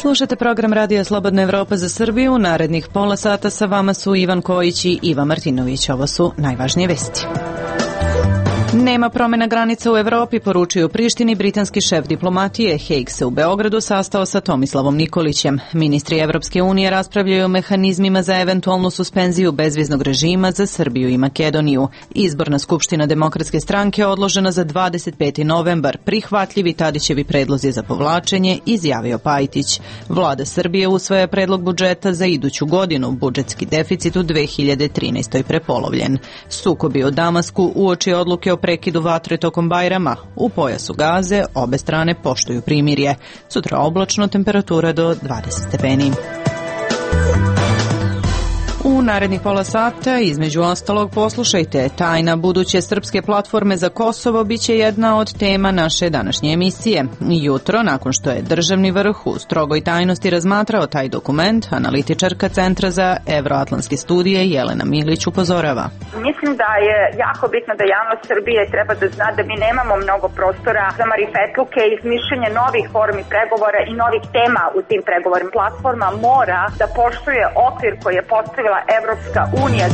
Slušate program Radija Slobodna Evropa za Srbiju. Narednih pola sata sa vama su Ivan Kojić i Iva Martinović. Ovo su najvažnije vesti. Nema promjena granica u Evropi, poručuju Prištini britanski šef diplomatije. Haig se u Beogradu sastao sa Tomislavom Nikolićem. Ministri Evropske unije raspravljaju o mehanizmima za eventualnu suspenziju bezviznog režima za Srbiju i Makedoniju. Izborna skupština Demokratske stranke odložena za 25. novembar. Prihvatljivi Tadićevi predlozi za povlačenje, izjavio Pajtić. Vlada Srbije usvaja predlog budžeta za iduću godinu. Budžetski deficit u 2013. prepolovljen. Sukobi u Damasku uoči odluke o prekidu vatre tokom Bajrama. U pojasu Gaze obe strane poštuju primirje. Sutra oblačno, temperatura do 20 stepeni. U narednih pola sata, između ostalog, poslušajte, tajna buduće srpske platforme za Kosovo biće jedna od tema naše današnje emisije. Jutro, nakon što je državni vrh u strogoj tajnosti razmatrao taj dokument, analitičarka Centra za evroatlantske studije Jelena Milić upozorava. Mislim da je jako bitno da javnost Srbije treba da zna da mi nemamo mnogo prostora za marifetluke i izmišljanje novih formi pregovora i novih tema u tim pregovorima. Platforma mora da poštuje okvir koji je postavila Evropska unija.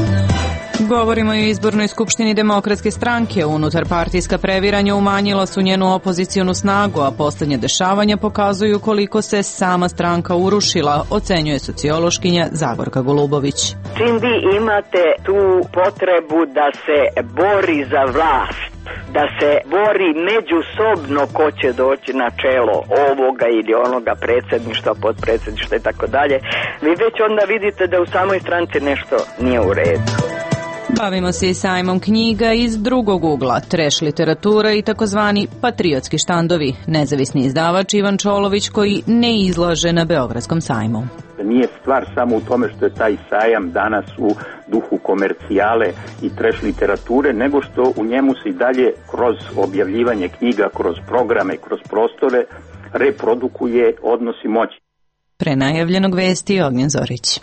Govorimo i o izbornoj skupštini Demokratske stranke. Unutarpartijska previranja umanjila su njenu opozicionu snagu, a posljednje dešavanja pokazuju koliko se sama stranka urušila, ocenjuje sociološkinja Zagorka Golubović. Čim vi imate tu potrebu da se bori za vlast, da se bori međusobno ko će doći na čelo ovoga ili onoga predsjedništva, podpredsjedništva i tako dalje, vi već onda vidite da u samoj stranci nešto nije u redu. Bavimo se i sajmom knjiga iz drugog ugla, treš literatura i takozvani patriotski štandovi. Nezavisni izdavač Ivan Čolović koji ne izlaže na Beogradskom sajmu. Nije stvar samo u tome što je taj sajam danas u duhu komercijale i treš literature, nego što u njemu se i dalje kroz objavljivanje knjiga, kroz programe, kroz prostore reprodukuje odnosi moći. Pre najavljenog vesti Ognjen Zorić.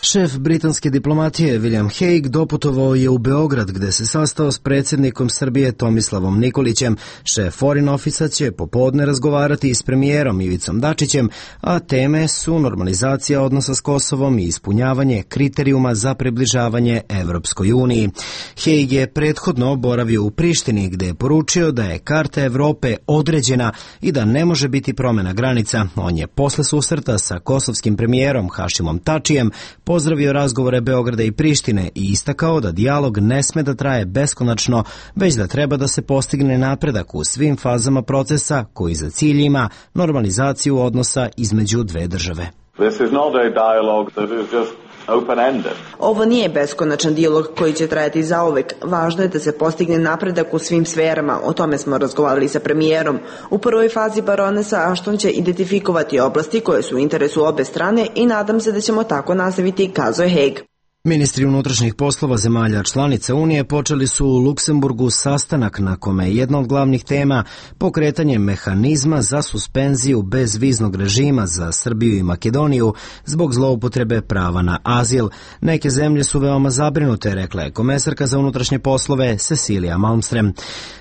Šef britanske diplomatije William Haig doputovao je u Beograd gde se sastao s predsjednikom Srbije Tomislavom Nikolićem. Šef Foreign Office-a će popodne razgovarati s premijerom Ivicom Dačićem, a teme su normalizacija odnosa s Kosovom i ispunjavanje kriterijuma za približavanje Evropskoj uniji. Haig je prethodno boravio u Prištini gde je poručio da je karta Evrope određena i da ne može biti promjena granica. On je posle susreta sa kosovskim premijerom Hašimom Tačijem pozdravio razgovore Beograda i Prištine i istakao da dijalog ne sme da traje beskonačno, već da treba da se postigne napredak u svim fazama procesa koji za cilj ima normalizaciju odnosa između dve države. Ovo nije beskonačan dijalog koji će trajati zauvek. Važno je da se postigne napredak u svim sferama. O tome smo razgovarali sa premijerom. U prvoj fazi baronesa Ashton će identifikovati oblasti koje su u interesu obe strane i nadam se da ćemo tako nastaviti, kazao je Haig. Ministri unutrašnjih poslova zemalja članica Unije počeli su u Luksemburgu sastanak na kome je jedna od glavnih tema pokretanje mehanizma za suspenziju bezviznog režima za Srbiju i Makedoniju zbog zloupotrebe prava na azil. Neke zemlje su veoma zabrinute, rekla je komesarka za unutrašnje poslove Cecilia Malmström.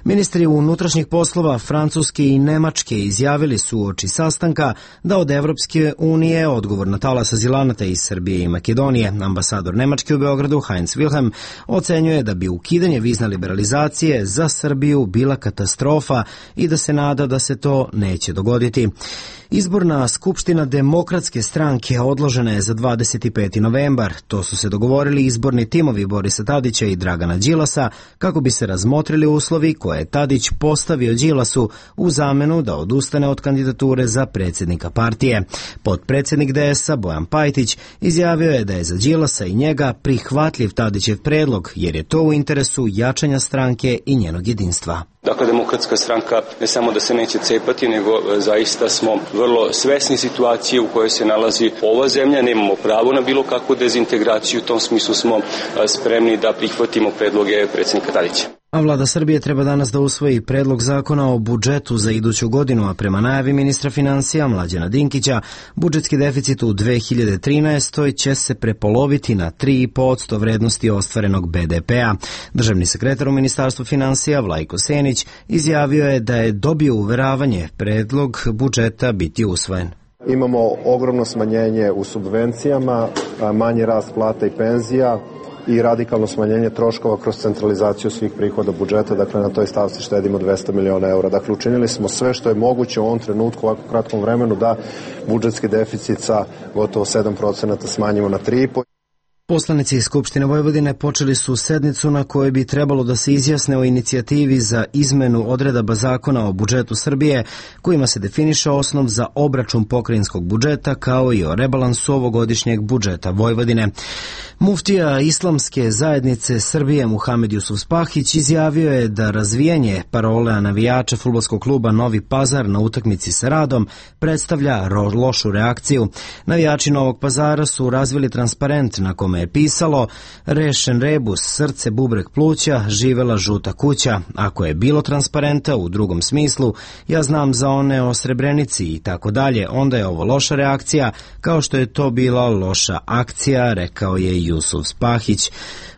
Ministri unutrašnjih poslova Francuske i Nemačke izjavili su uoči sastanka da od Evropske unije odgovor na talas azilanata iz Srbije i Makedonije. Ambasador Nemačke u Beogradu Heinz Wilhelm ocenjuje da bi ukidanje vizne liberalizacije za Srbiju bila katastrofa i da se nada da se to neće dogoditi. Izborna skupština Demokratske stranke odložena je za 25. novembar. To su se dogovorili izborni timovi Borisa Tadića i Dragana Đilasa kako bi se razmotrili uslovi koje je Tadić postavio Đilasu u zamenu da odustane od kandidature za predsjednika partije. Potpredsjednik DS-a Bojan Pajtić izjavio je da je za Đilasa i njega prihvatljiv Tadićev predlog jer je to u interesu jačanja stranke i njenog jedinstva. Dakle, Demokratska stranka ne samo da se neće cepati, nego zaista smo vrlo svesni situacije u kojoj se nalazi ova zemlja. Nemamo pravo na bilo kakvu dezintegraciju, u tom smislu smo spremni da prihvatimo predloge predsjednika Tadića. A vlada Srbije treba danas da usvoji predlog zakona o budžetu za iduću godinu, a prema najavi ministra finansija Mlađana Dinkića, budžetski deficit u 2013. će se prepoloviti na 3,5% vrednosti ostvarenog BDP-a. Državni sekretar u Ministarstvu finansija Vlajko Senić izjavio je da je dobio uveravanje predlog budžeta biti usvojen. Imamo ogromno smanjenje u subvencijama, manji rast plata i penzija i radikalno smanjenje troškova kroz centralizaciju svih prihoda budžeta, dakle na toj stavci štedimo 200 miliona eura. Dakle, učinili smo sve što je moguće u ovom trenutku, u ovako kratkom vremenu, da budžetski deficit sa gotovo 7% smanjimo na 3,5%. Poslanici iz Skupštine Vojvodine počeli su sednicu na kojoj bi trebalo da se izjasne o inicijativi za izmenu odredaba zakona o budžetu Srbije, kojima se definiše osnov za obračun pokrajinskog budžeta, kao i o rebalansu ovogodišnjeg budžeta Vojvodine. Muftija Islamske zajednice Srbije Muhamed Jusuf Spahić izjavio je da razvijanje parole navijača fudbalskog kluba Novi Pazar na utakmici sa Radom predstavlja lošu reakciju. Navijači Novog Pazara su razvili transparent na kome je pisalo "Rešen rebus, srce, bubreg, pluća, živela žuta kuća. Ako je bilo transparenta u drugom smislu, ja znam za one o Srebrenici i tako dalje, onda je ovo loša reakcija, kao što je to bila loša akcija", rekao je Jusuf Spahić.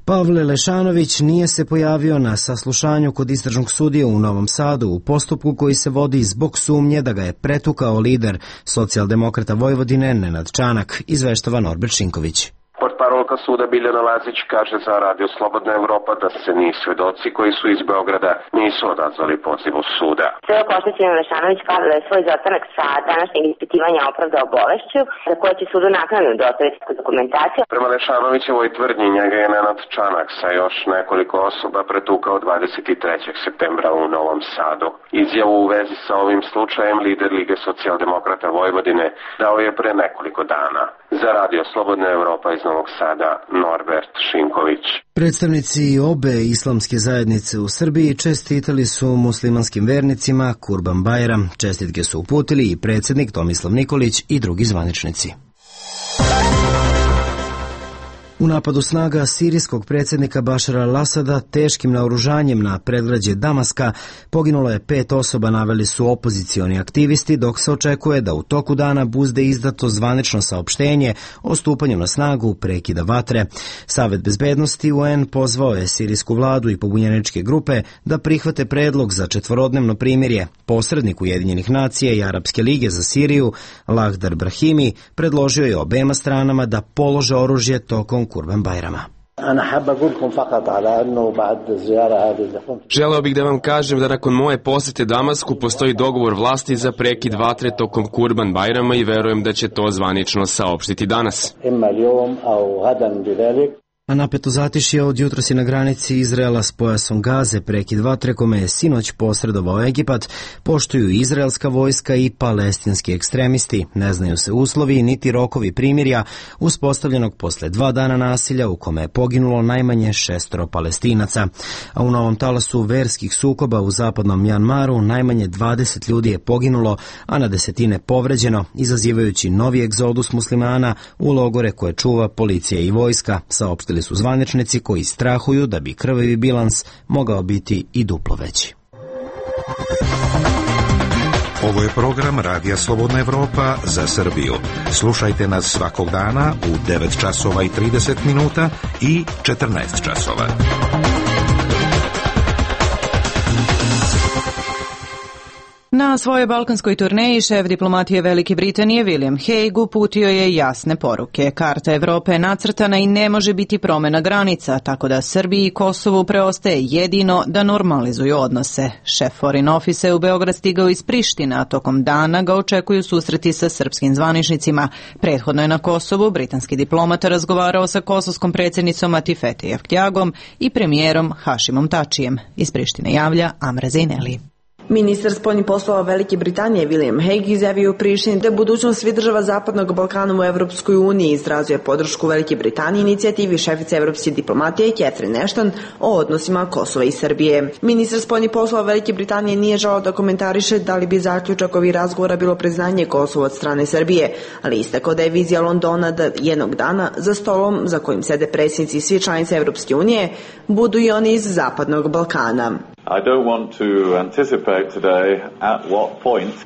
Pavle Lešanović nije se pojavio na saslušanju kod istražnog sudije u Novom Sadu u postupku koji se vodi zbog sumnje da ga je pretukao lider Socijaldemokrata Vojvodine Nenad Čanak, izveštava Norbert Šinković. Portparolka suda Biljana Lazić kaže za Radio Slobodna Evropa da se ni svedoci koji su iz Beograda nisu odazvali pozivu suda. Svedok oštećeni Lešanović kaže da je svoj izostanak sa današnjeg ispitivanja opravdao bolešću, za koje će sudu naknadno dostaviti dokumentaciju. Prema Lešanovićevoj tvrdnji njega je Nenad Čanak sa još nekoliko osoba pretukao 23. septembra u Novom Sadu. Izjavu u vezi sa ovim slučajem lider Lige Socijaldemokrata Vojvodine dao je pre nekoliko dana. Za Radio Slobodna Evropa iz Novog Sada, Norbert Šinković. Predstavnici obe islamske zajednice u Srbiji čestitali su muslimanskim vernicima Kurban Bajram. Čestitke su uputili i predsjednik Tomislav Nikolić i drugi zvaničnici. U napadu snaga sirijskog predsjednika Bašara al-Asada teškim naoružanjem na predgrađe Damaska poginulo je 5 osoba, naveli su opozicioni aktivisti, dok se očekuje da u toku dana bude izdato zvanično saopštenje o stupanju na snagu prekida vatre. Savet bezbednosti UN pozvao je sirijsku vladu i pobunjeničke grupe da prihvate predlog za 4-dnevno primirje. Posrednik Ujedinjenih nacija i Arapske lige za Siriju, Lahdar Brahimi, predložio je obema stranama da polože oružje tokom Kurban Bajrama. Želeo bih da vam kažem da nakon moje posete Damasku postoji dogovor vlasti za prekid vatre tokom Kurban Bajrama i verujem da će to zvanično saopštiti danas. A napeto zatišje od jutros je na granici Izraela s pojasom Gaze. Prekid vatre kome je sinoć posredovao Egipat poštuju izraelska vojska i palestinski ekstremisti. Ne znaju se uslovi niti rokovi primirja uspostavljenog posle 2 dana nasilja u kome je poginulo najmanje 6 Palestinaca. A u novom talasu verskih sukoba u zapadnom Mjanmaru najmanje 20 ljudi je poginulo, a na desetine povređeno, izazivajući novi egzodus muslimana u logore koje čuva policija i vojska, saopštili su zvaničnici koji strahuju da bi krvavi bilans mogao biti i duplo veći. Ovo je program Radija Slobodna Evropa za Srbiju. Slušajte nas svakog dana u 9 časova i 30 minuta i 14 časova. Na svojoj balkanskoj turneji šef diplomatije Velike Britanije William Hague uputio je jasne poruke. Karta Evrope je nacrtana i ne može biti promjena granica, tako da Srbiji i Kosovu preostaje jedino da normalizuju odnose. Šef Foreign Office je u Beograd stigao iz Prištine, a tokom dana ga očekuju susreti sa srpskim zvaničnicima. Prethodno je na Kosovu britanski diplomata razgovarao sa kosovskom predsjednicom Atifete Jevtjagom i premijerom Hašimom Tačijem. Iz Prištine javlja Amra Zejneli. Ministar spoljnih poslova Velike Britanije William Hague izjavio u Prištini da je budućnost svih država Zapadnog Balkana u Evropskoj uniji. Izrazio je podršku Velike Britanije inicijativi šefice evropske diplomatije Catherine Ashton o odnosima Kosova i Srbije. Ministar spoljnih poslova Velike Britanije nije želeo da komentariše da li bi zaključak ovih razgovora bilo priznanje Kosova od strane Srbije, ali istakao da je vizija Londona da jednog dana za stolom za kojim sede predsjednici svih članica Evropske unije budu i oni iz Zapadnog Balkana.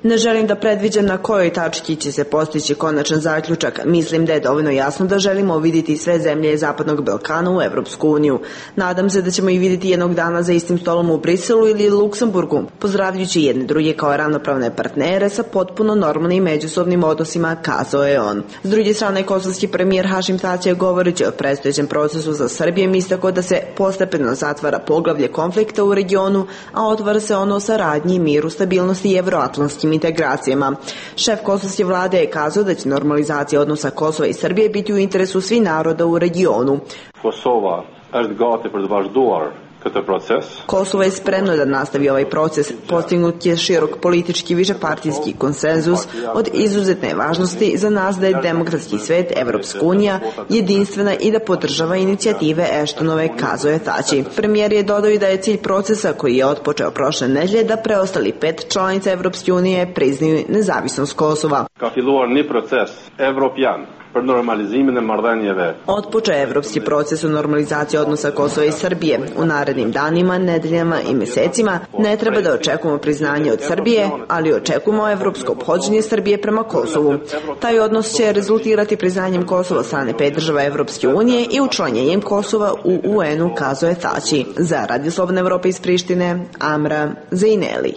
Ne želim da predviđam na kojoj tački će se postići konačan zaključak. Mislim da je dovoljno jasno da želimo vidjeti sve zemlje Zapadnog Balkana u Evropsku uniju. Nadam se da ćemo ih vidjeti jednog dana za istim stolom u Briselu ili Luksemburgu, pozdravljajući jedne druge kao ravnopravne partnere sa potpuno normalnim međusobnim odnosima, kazao je on. S druge strane, kosovski premijer Hašim Tači je govoreći o predstojećem procesu za Srbiju istakao da se postepeno zatvara poglavlje konflikta u regionu, a otvara se ono o saradnji, miru, stabilnosti i evroatlantskim integracijama. Šef kosovske vlade je kazao da će normalizacija odnosa Kosova i Srbije biti u interesu svih naroda u regionu. Kosovo je spremno da nastavi ovaj proces. Postignut je širok politički višepartijski konsenzus od izuzetne važnosti za nas da je demokratski svet, Evropska unija, jedinstvena i da podržava inicijative Ashtonove, kazao je Tači. Premijer je dodao i da je cilj procesa koji je otpočeo prošle nedelje da preostali 5 članica Evropske unije priznaju nezavisnost Kosova. Otpočeo je evropski proces u normalizaciji odnosa Kosova i Srbije. U narednim danima, nedeljama i mesecima ne treba da očekujemo priznanje od Srbije, ali očekujemo evropsko ophođenje Srbije prema Kosovu. Taj odnos će rezultirati priznanjem Kosova od strane 5 država Evropske unije i učlanjenjem Kosova u UN-u, kazao je Tači. Za Radio Slobodne Evrope iz Prištine, Amra Zejneli.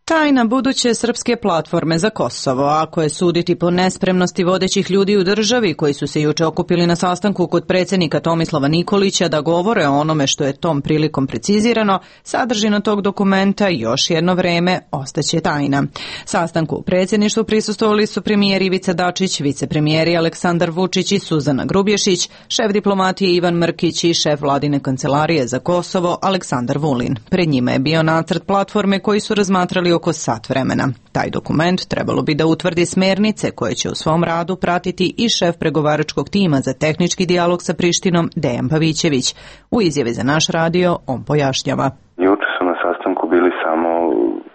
Tajna buduće srpske platforme za Kosovo, ako je suditi po nespremnosti vodećih ljudi u državi koji su se juče okupili na sastanku kod predsjednika Tomislava Nikolića da govore o onome što je tom prilikom precizirano, sadržina tog dokumenta još jedno vreme ostaće tajna. Sastanku u predsjedništvu prisustvovali su premijer Ivica Dačić, vicepremijeri Aleksandar Vučić i Suzana Grubješić, šef diplomatije Ivan Mrkić i šef vladine kancelarije za Kosovo Aleksandar Vulin. Pred njima je bio nacrt platforme koji su razmatrali oko sat vremena. Taj dokument trebalo bi da utvrdi smernice koje će u svom radu pratiti i šef pregovaračkog tima za tehnički dijalog sa Prištinom Dejan Pavićević. U izjavi za naš radio on pojašnjava. Juče su na sastanku bili samo,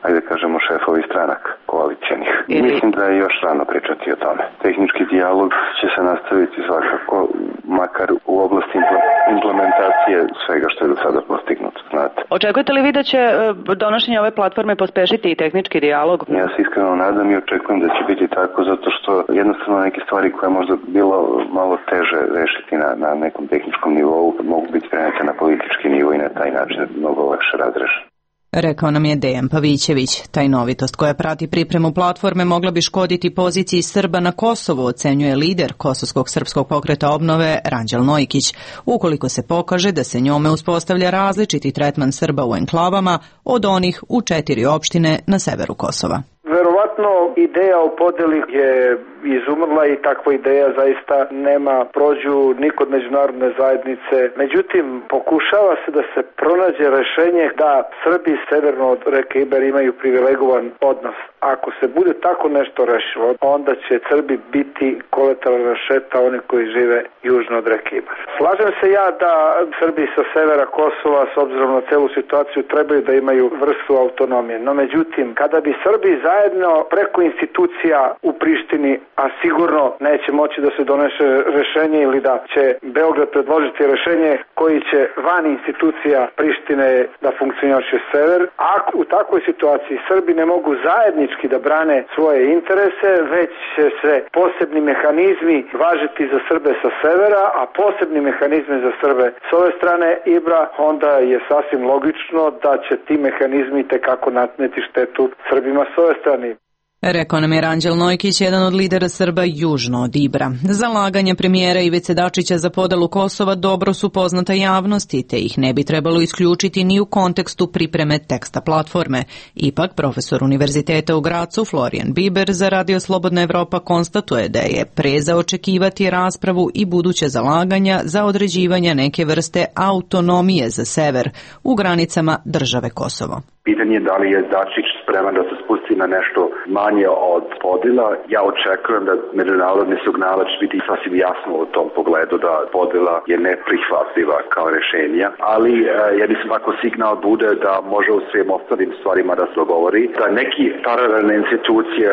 ajde kažemo, šefovi stranaka koalicijenih. Mislim da je još rano pričati o tome. Tehnički dijalog će se nastaviti svakako, makar u oblasti implementacije svega što je do sada postignuto, znate. Očekujete li vi da će donošenje ove platforme pospešiti i tehnički dijalog? Ja se iskreno nadam i očekujem da će biti tako, zato što jednostavno neke stvari koje je možda bilo malo teže rešiti na nekom tehničkom nivou mogu biti prenete na politički nivo i na taj način mnogo lakše razrešiti. Rekao nam je Dejan Pavićević. Tajnovitost koja prati pripremu platforme mogla bi škoditi poziciji Srba na Kosovu, ocenjuje lider Kosovskog srpskog pokreta obnove Ranđel Nojkić, ukoliko se pokaže da se njome uspostavlja različiti tretman Srba u enklavama od onih u 4 opštine na severu Kosova. Verovatno ideja o podeli je izumrla i takva ideja zaista nema prođu ni kod međunarodne zajednice. Međutim, pokušava se da se pronađe rešenje da Srbi severno od reke Ibar imaju privilegovan odnos. Ako se bude tako nešto rešilo, onda će Srbi biti kolateralna šteta oni koji žive južno od reke Ibar. Slažem se ja da Srbi sa severa Kosova, s obzirom na celu situaciju, trebaju da imaju vrstu autonomije. No međutim, kada bi Srbi zajedno preko institucija u Prištini, a sigurno neće moći da se donese rešenje ili da će Beograd predložiti rešenje koji će van institucija Prištine da funkcioniše sever, ako u takvoj situaciji Srbi ne mogu zajednički da brane svoje interese, već će se posebni mehanizmi važiti za Srbe sa severa, a posebni mehanizmi za Srbe s ove strane Ibra, onda je sasvim logično da će ti mehanizmi tekako natneti štetu Srbima s ove strane. Rekao nam je Ranđel Nojkić, jedan od lidera Srba južno od Ibra. Zalaganje premijera Ivice Dačića za podelu Kosova dobro su poznata javnosti, te ih ne bi trebalo isključiti ni u kontekstu pripreme teksta platforme. Ipak, profesor Univerziteta u Gracu, Florijan Biber, za Radio Slobodna Evropa konstatuje da je pre za očekivati raspravu i buduće zalaganja za određivanje neke vrste autonomije za sever u granicama države Kosovo. Pitanje je da li je Dačić spreman da se spusti na nešto manje od podela. Ja očekujem da međunarodni signal će biti sasvim jasno u tom pogledu da podela je neprihvatljiva kao rješenja, ali ja mislim ako signal bude da može u svim ostalim stvarima da se dogovori, da neki paralelne institucije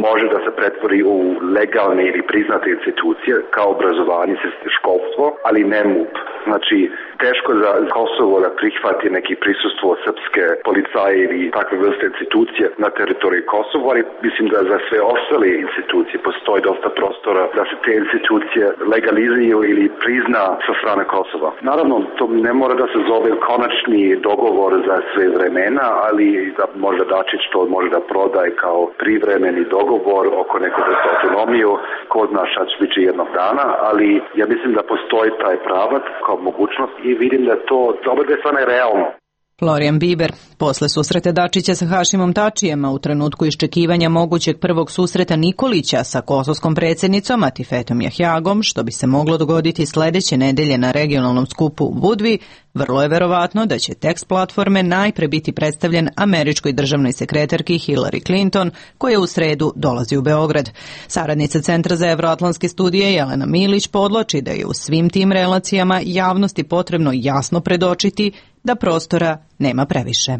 može da se pretvori u legalne ili priznate institucije kao obrazovanje, školstvo, ali ne MUP. Znači, teško za Kosovo da prihvati neki prisustvo srpske policaje ili takve vrste institucije na teritoriji Kosova, ali mislim da za sve ostale institucije postoji dosta prostora da se te institucije legalizuju ili prizna sa strane Kosova. Naravno, to ne mora da se zove konačni dogovor za sve vremena, ali da možda Dačić to može da prodaje kao privremeni dogovor oko nekog autonomiju, ko zna šta će biti jednog dana, ali ja mislim da postoji taj pravac kao mogućnost i vidim da to dobro da je stvarno realno. Florijan Biber. Posle susreta Dačića sa Hašimom Tačijem, u trenutku iščekivanja mogućeg prvog susreta Nikolića sa kosovskom predsjednicom Atifetom Jahjagom, što bi se moglo dogoditi sledeće nedelje na regionalnom skupu u Budvi, vrlo je verovatno da će tekst platforme najpre biti predstavljen američkoj državnoj sekretarki Hillary Clinton, koja u sredu dolazi u Beograd. Saradnica Centra za evroatlantske studije Jelena Milić podlači da je u svim tim relacijama javnosti potrebno jasno predočiti da prostora nema previše.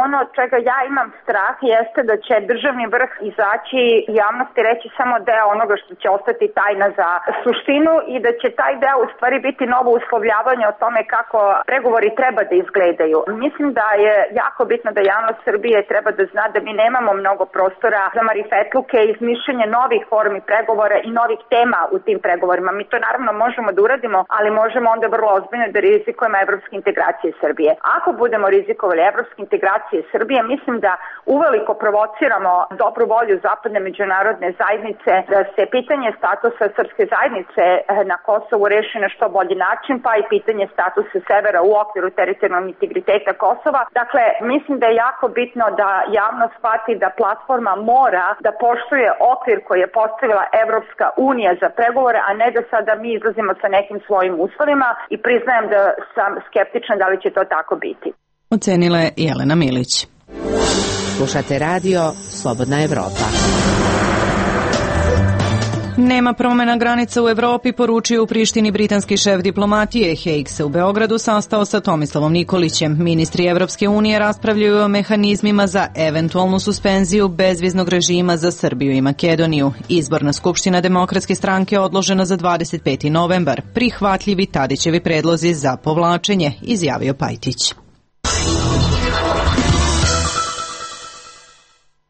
Ono čega ja imam strah jeste da će državni vrh izaći javnosti reći samo deo onoga što će ostati tajna za suštinu i da će taj deo u stvari biti novo uslovljavanje o tome kako pregovori treba da izgledaju. Mislim da je jako bitno da javnost Srbije treba da zna da mi nemamo mnogo prostora za marifetluke i izmišljanje novih formi pregovora i novih tema u tim pregovorima. Mi to naravno možemo da uradimo, ali možemo onda vrlo ozbiljno da rizikujemo evropske integracije Srbije. Ako budemo rizikovali evropske integracije Srbije, mislim da uveliko provociramo dobru volju zapadne međunarodne zajednice da se pitanje statusa srpske zajednice na Kosovu reši na što bolji način, pa i pitanje statusa severa u okviru teritorijalnog integriteta Kosova. Dakle, mislim da je jako bitno da javnost shvati da platforma mora da poštuje okvir koji je postavila Evropska unija za pregovore, a ne da sada mi izlazimo sa nekim svojim uslovima i priznajem da sam skeptična da li će to tako biti. Ocenila je Jelena Milić. Slušate radio Slobodna Evropa. Nema promjena granica u Evropi, poručio u Prištini britanski šef diplomatije. Haig se u Beogradu sastao sa Tomislavom Nikolićem. Ministri Evropske unije raspravljaju o mehanizmima za eventualnu suspenziju bezviznog režima za Srbiju i Makedoniju. Izborna skupština Demokratske stranke odložena za 25. novembar. Prihvatljivi Tadićevi predlozi za povlačenje, izjavio Pajtić.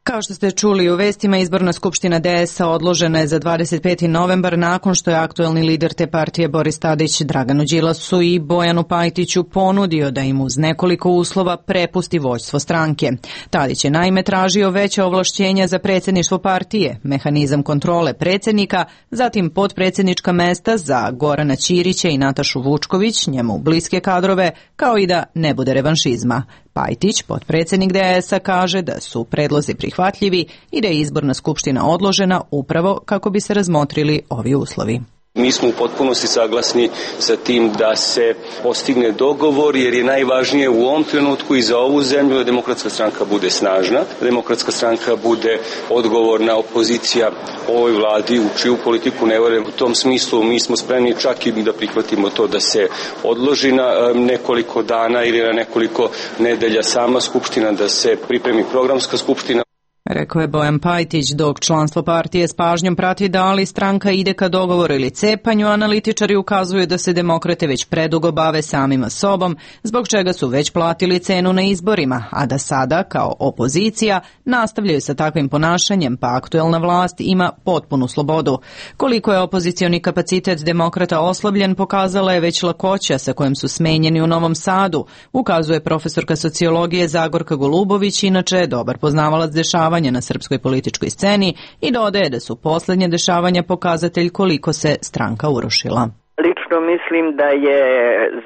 Kao što ste čuli u vestima, izborna skupština DS-a odložena je za 25. novembar nakon što je aktuelni lider te partije Boris Tadić Draganu Đilasu i Bojanu Pajtiću ponudio da im uz nekoliko uslova prepusti vođstvo stranke. Tadić je naime tražio veće ovlašćenja za predsjedništvo partije, mehanizam kontrole predsjednika, zatim potpredsjednička mesta za Gorana Ćirića i Natašu Vučković, njemu bliske kadrove, kao i da ne bude revanšizma. Pajtić, potpredsjednik DS-a, kaže da su predlozi prihvatljivi i da je izborna skupština odložena upravo kako bi se razmotrili ovi uslovi. Mi smo u potpunosti saglasni sa tim da se postigne dogovor, jer je najvažnije u ovom trenutku i za ovu zemlju da Demokratska stranka bude snažna, da Demokratska stranka bude odgovorna opozicija ovoj vladi u čiju politiku ne verujem. U tom smislu mi smo spremni čak i da prihvatimo to da se odloži na nekoliko dana ili na nekoliko nedelja sama skupština, da se pripremi programska skupština. Rekao je Bojan Pajtić, dok članstvo partije s pažnjom prati da li stranka ide ka dogovoru ili cepanju, analitičari ukazuju da se demokrate već predugo bave samima sobom, zbog čega su već platili cenu na izborima, a da sada, kao opozicija, nastavljaju sa takvim ponašanjem, pa aktuelna vlast ima potpunu slobodu. Koliko je opozicioni kapacitet demokrata oslabljen, pokazala je već lakoća sa kojom su smenjeni u Novom Sadu, ukazuje profesorka sociologije Zagorka Golubović, inače dobar poznavalac dešavanja na srpskoj političkoj sceni, i dodaje da su posljednje dešavanja pokazatelj koliko se stranka urušila. Lično mislim da je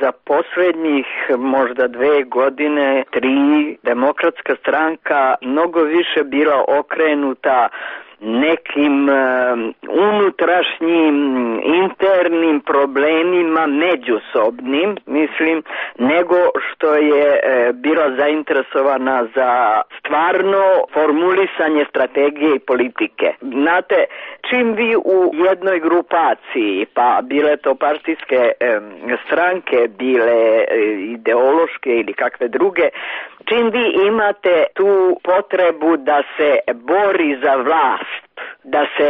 za posljednjih možda 2 godine, 3, Demokratska stranka mnogo više bila okrenuta nekim unutrašnjim internim problemima međusobnim, mislim, nego što je bila zainteresovana za stvarno formulisanje strategije i politike. Znate, čim vi u jednoj grupaciji, pa bile to partijske stranke, bile ideološke ili kakve druge, čim vi imate tu potrebu da se bori za vlast, da se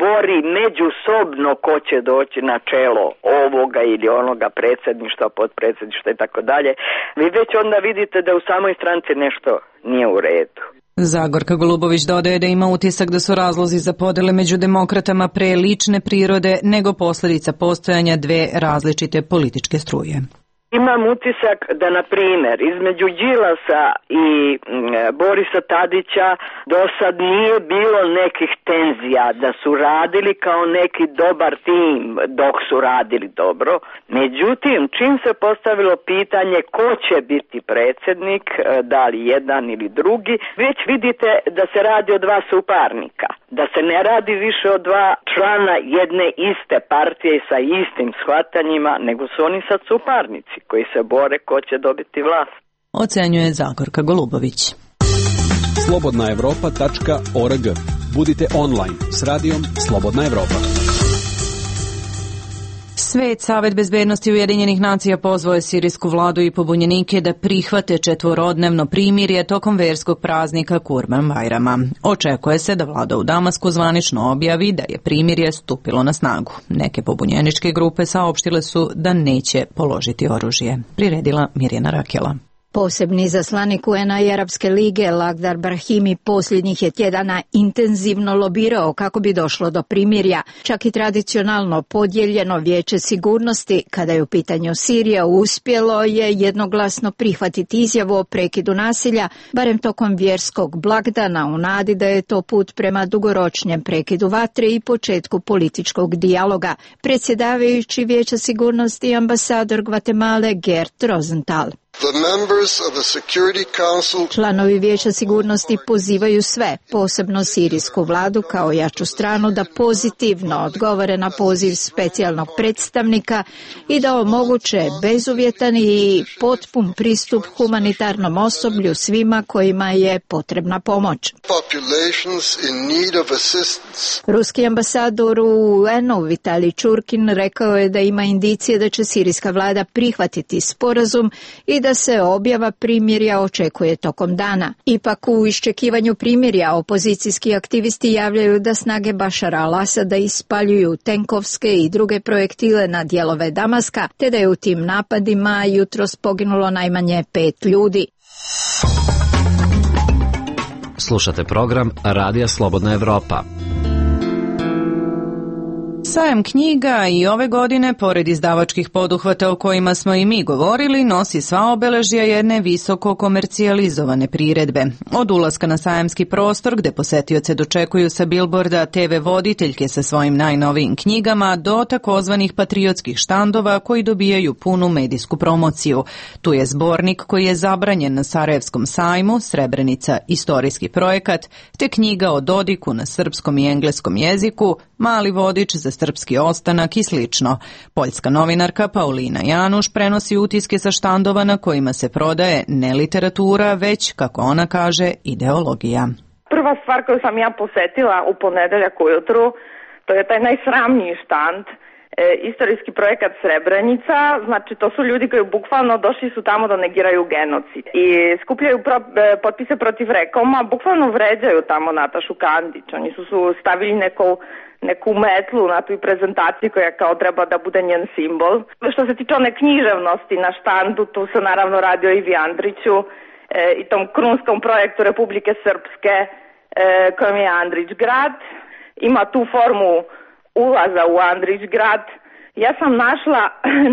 bori međusobno ko će doći na čelo ovoga ili onoga predsjedništva, podpredsjedništva i tako dalje, vi već onda vidite da u samoj stranci nešto nije u redu. Zagorka Golubović dodaje da ima utisak da su razlozi za podele među demokratama pre lične prirode nego posljedica postojanja dve različite političke struje. Imam utisak da, na primjer, između Đilasa i Borisa Tadića do sad nije bilo nekih tenzija, da su radili kao neki dobar tim dok su radili dobro. Međutim, čim se postavilo pitanje ko će biti predsjednik, da li jedan ili drugi, već vidite da se radi o dva suparnika. Da se ne radi više o dva člana jedne iste partije sa istim shvatanjima, nego su oni sad suparnici koji se bore ko će dobiti vlast. Ocenjuje Zagorka Golubović. slobodnaevropa.org. Budite online s radijom Slobodna Evropa. Savet bezbednosti Ujedinjenih nacija pozvao je sirijsku vladu i pobunjenike da prihvate četvorodnevno primirje tokom verskog praznika Kurban Bajrama. Očekuje se da vlada u Damasku zvanično objavi da je primirje stupilo na snagu. Neke pobunjeničke grupe saopštile su da neće položiti oružje. Priredila Mirjana Rakela. Posebni izaslanik UN-a i Arapske lige Lagdar Brahimi posljednjih je tjedana intenzivno lobirao kako bi došlo do primirja. Čak i tradicionalno podijeljeno Vijeće sigurnosti, kada je u pitanju Sirija, uspjelo je jednoglasno prihvatiti izjavu o prekidu nasilja, barem tokom vjerskog blagdana, u nadi da je to put prema dugoročnjem prekidu vatre i početku političkog dijaloga. Predsjedavajući Vijeća sigurnosti ambasador Gvatemale Gert Rosenthal. Članovi Vijeća sigurnosti pozivaju sve, posebno sirijsku vladu kao jaču stranu, da pozitivno odgovore na poziv specijalnog predstavnika i da omoguće bezuvjetan i potpun pristup humanitarnom osoblju svima kojima je potrebna pomoć. Ruski ambasador u UN-u Vitalij Čurkin rekao je da ima indicije da će sirijska vlada prihvatiti sporazum i da se objava primirja očekuje tokom dana. Ipak u iščekivanju primirja opozicijski aktivisti javljaju da snage Bašara al-Asada ispaljuju tenkovske i druge projektile na dijelove Damaska, te da je u tim napadima jutros poginulo najmanje 5 ljudi. Slušate program Radija Slobodna Evropa. Sajam knjiga i ove godine, pored izdavačkih poduhvata o kojima smo i mi govorili, nosi sva obeležja jedne visoko komercijalizovane priredbe. Od ulaska na sajamski prostor, gde posetioce dočekuju sa bilborda TV voditeljke sa svojim najnovijim knjigama, do takozvanih patriotskih štandova koji dobijaju punu medijsku promociju. Tu je zbornik koji je zabranjen na Sarajevskom sajmu, Srebrenica istorijski projekat, te knjiga o Dodiku na srpskom i engleskom jeziku, Mali vodič za srpski ostanak i slično. Poljska novinarka Paulina Januš prenosi utiske sa štandova na kojima se prodaje ne literatura, već, kako ona kaže, ideologija. Prva stvar koju sam ja posetila u ponedeljak ujutru, to je taj najsramniji štand, istorijski projekat Srebrenica. Znači, to su ljudi koji bukvalno došli su tamo da negiraju genocid i skupljaju potpise protiv Rekoma, bukvalno vređaju tamo Natašu Kandić. Oni su stavili neku metlu na tu prezentaciju koja kao treba da bude njen simbol. Što se tiče one književnosti na štandu, tu se naravno radi o Ivi Andriću i tom krunskom projektu Republike Srpske kojom je Andrić grad. Ima tu formu ulaza u Andrić grad. Ja sam našla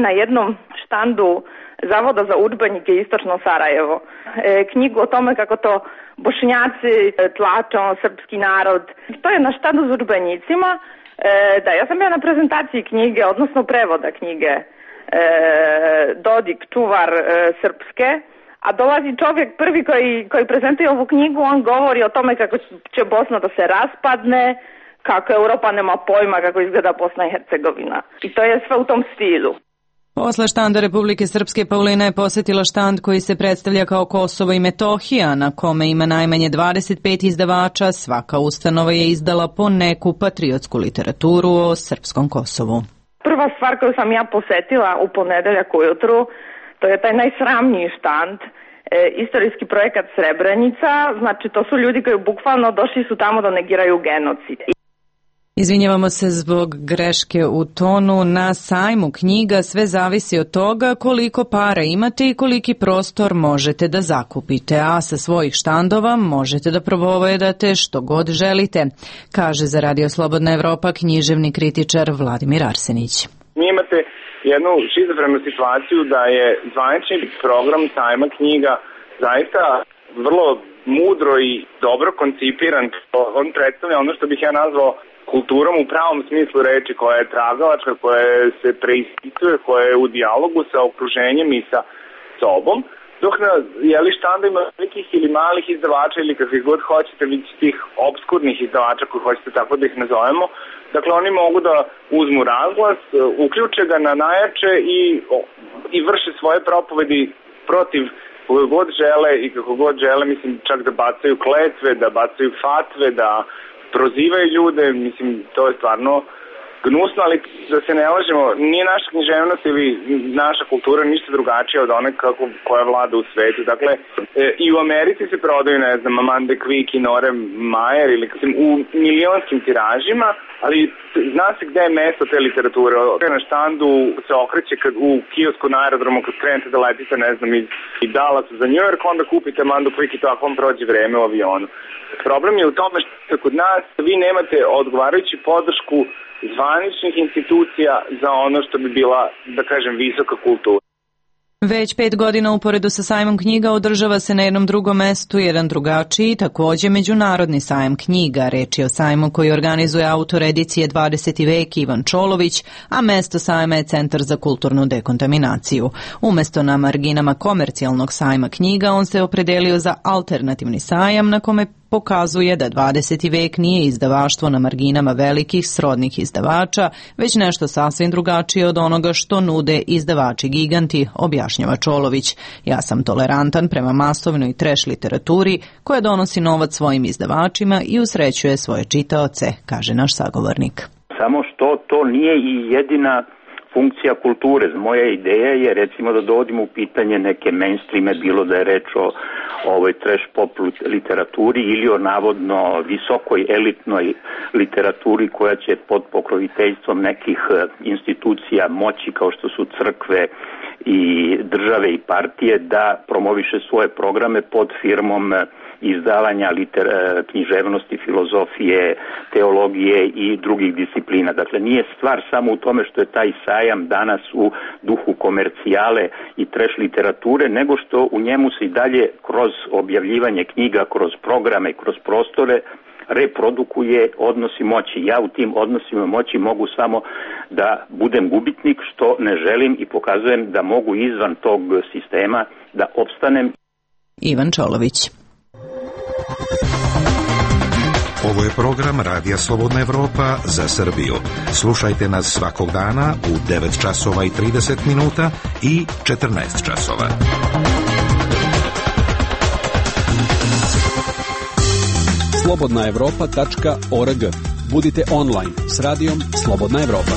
na jednom štandu Zavoda za udžbenike Istočno Sarajevo knjigu o tome kako to Bošnjaci tlače srpski narod. To je na štandu s udžbenicima. Da, ja sam bila na prezentaciji knjige, odnosno prevoda knjige Dodik, čuvar srpske, a dolazi čovjek prvi koji prezentuje ovu knjigu, on govori o tome kako će Bosna da se raspadne, kako Europa nema pojma kako izgleda Bosna i Hercegovina. I to je sve u tom stilu. Posle štanda Republike Srpske, Paulina je posetila štand koji se predstavlja kao Kosovo i Metohija, na kome ima najmanje 25 izdavača. Svaka ustanova je izdala po neku patriotsku literaturu o srpskom Kosovu. Prva stvar koju sam ja posetila u ponedeljak ujutru, to je taj najsramniji štand, istorijski projekat Srebrenica. Znači, to su ljudi koji bukvalno došli su tamo da negiraju genocid. Izvinjavamo se zbog greške u tonu. Na sajmu knjiga sve zavisi od toga koliko para imate i koliki prostor možete da zakupite, a sa svojih štandova možete da propovjedate što god želite, kaže za Radio Slobodna Evropa književni kritičar Vladimir Arsenić. Mi imate jednu šizofrenu situaciju da je zvanični program sajma knjiga zaista vrlo mudro i dobro koncipiran. On predstavlja ono što bih ja nazvao kulturom u pravom smislu reči, koja je tragalačka, koja se preispituje, koja je u dijalogu sa okruženjem i sa sobom, dok na štandovima velikih ili malih izdavača ili kakvih god hoćete, vidite tih obskurnih izdavača koji hoćete tako da ih nazovemo, dakle oni mogu da uzmu razglas, uključe ga na najjače i vrše svoje propovedi protiv koga god žele i kako god žele, mislim čak da bacaju kletve, da bacaju fatve, da prozivaju ljude, mislim, to je stvarno gnusno, ali da se ne lažemo, nije naša književnost ili naša kultura ništa drugačija od one koja vlada u svetu. Dakle, i u Americi se prodaju, ne znam, Amanda Quick i Nora Mayer ili u milionskim tiražima, ali zna se gde je mesto te literature. Na štandu se okreće u kiosku na aerodromu kad krenete da letite, ne znam, iz Dallasa za New York, onda kupite Amanda Quick i tako vam prođe vreme u avionu. Problem je u tome što kod nas vi nemate odgovarajuću podršku zvaničnih institucija za ono što bi bila, da kažem, visoka kultura. Već 5 godina uporedu sa sajmom knjiga održava se na jednom drugom mestu jedan drugačiji, takođe međunarodni sajam knjiga. Reč je o sajmu koji organizuje autor edicije 20. vek Ivan Čolović, a mesto sajma je Centar za kulturnu dekontaminaciju. Umesto na marginama komercijalnog sajma knjiga, on se opredelio za alternativni sajam na kome pokazuje da 20. vek nije izdavaštvo na marginama velikih srodnih izdavača, već nešto sasvim drugačije od onoga što nude izdavači giganti, objašnjava Čolović. Ja sam tolerantan prema masovnoj trash literaturi koja donosi novac svojim izdavačima i usrećuje svoje čitaoce, kaže naš sagovornik. Samo što to nije i jedina funkcija kulture. Moja ideja je recimo da dovodimo u pitanje neke mainstreame, bilo da je reč o ovoj trash pop literaturi ili o navodno visokoj elitnoj literaturi koja će pod pokroviteljstvom nekih institucija moći kao što su crkve i države i partije da promoviše svoje programe pod firmom izdavanja književnosti, filozofije, teologije i drugih disciplina. Dakle, nije stvar samo u tome što je taj sajam danas u duhu komercijale i trash literature, nego što u njemu se i dalje kroz objavljivanje knjiga, kroz programe, kroz prostore reprodukuje odnosi moći. Ja u tim odnosima moći mogu samo da budem gubitnik, što ne želim, i pokazujem da mogu izvan tog sistema da opstanem. Ivan Čolović. Ovo je program Radija Slobodna Evropa za Srbiju. Slušajte nas svakog dana u 9 časova i 30 minuta i 14 časova. slobodnaevropa.org. Budite online s radijom Slobodna Evropa.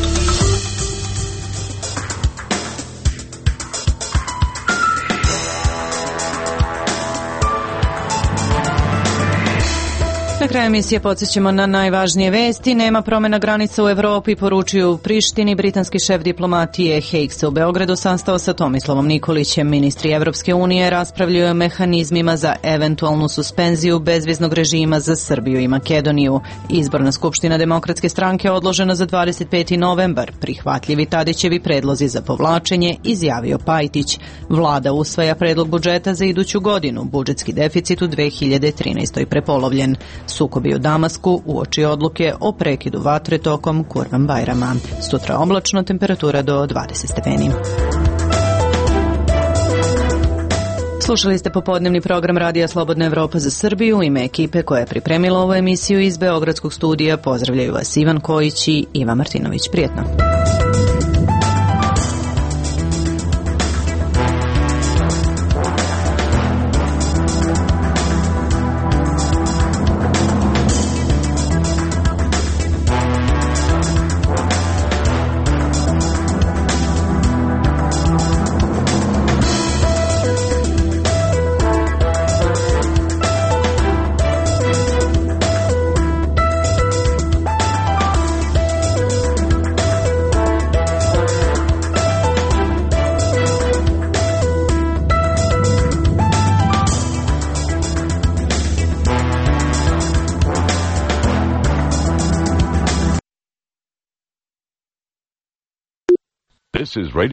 Na kraju emisije podsjećamo na najvažnije vesti. Nema promjena granica u Evropi, poručuju u Prištini. Britanski šef diplomatije Haig se u Beogradu sastao sa Tomislavom Nikolićem. Ministri Evropske unije raspravljaju o mehanizmima za eventualnu suspenziju bezviznog režima za Srbiju i Makedoniju. Izborna skupština Demokratske stranke odložena za 25. novembar. Prihvatljivi Tadićevi predlozi za povlačenje, izjavio Pajtić. Vlada usvaja predlog budžeta za iduću godinu. Budžetski deficit u 2013. prepolovljen. Sukobi u Damasku uoči odluke o prekidu vatre tokom Kurban Bajrama. Sutra oblačno, temperatura do 20 stepeni. Slušali ste popodnevni program Radija Slobodna Evropa za Srbiju. U ime ekipe koja je pripremila ovu emisiju iz Beogradskog studija pozdravljaju vas Ivan Kojić i Iva Martinović. Prijetno. This is Radio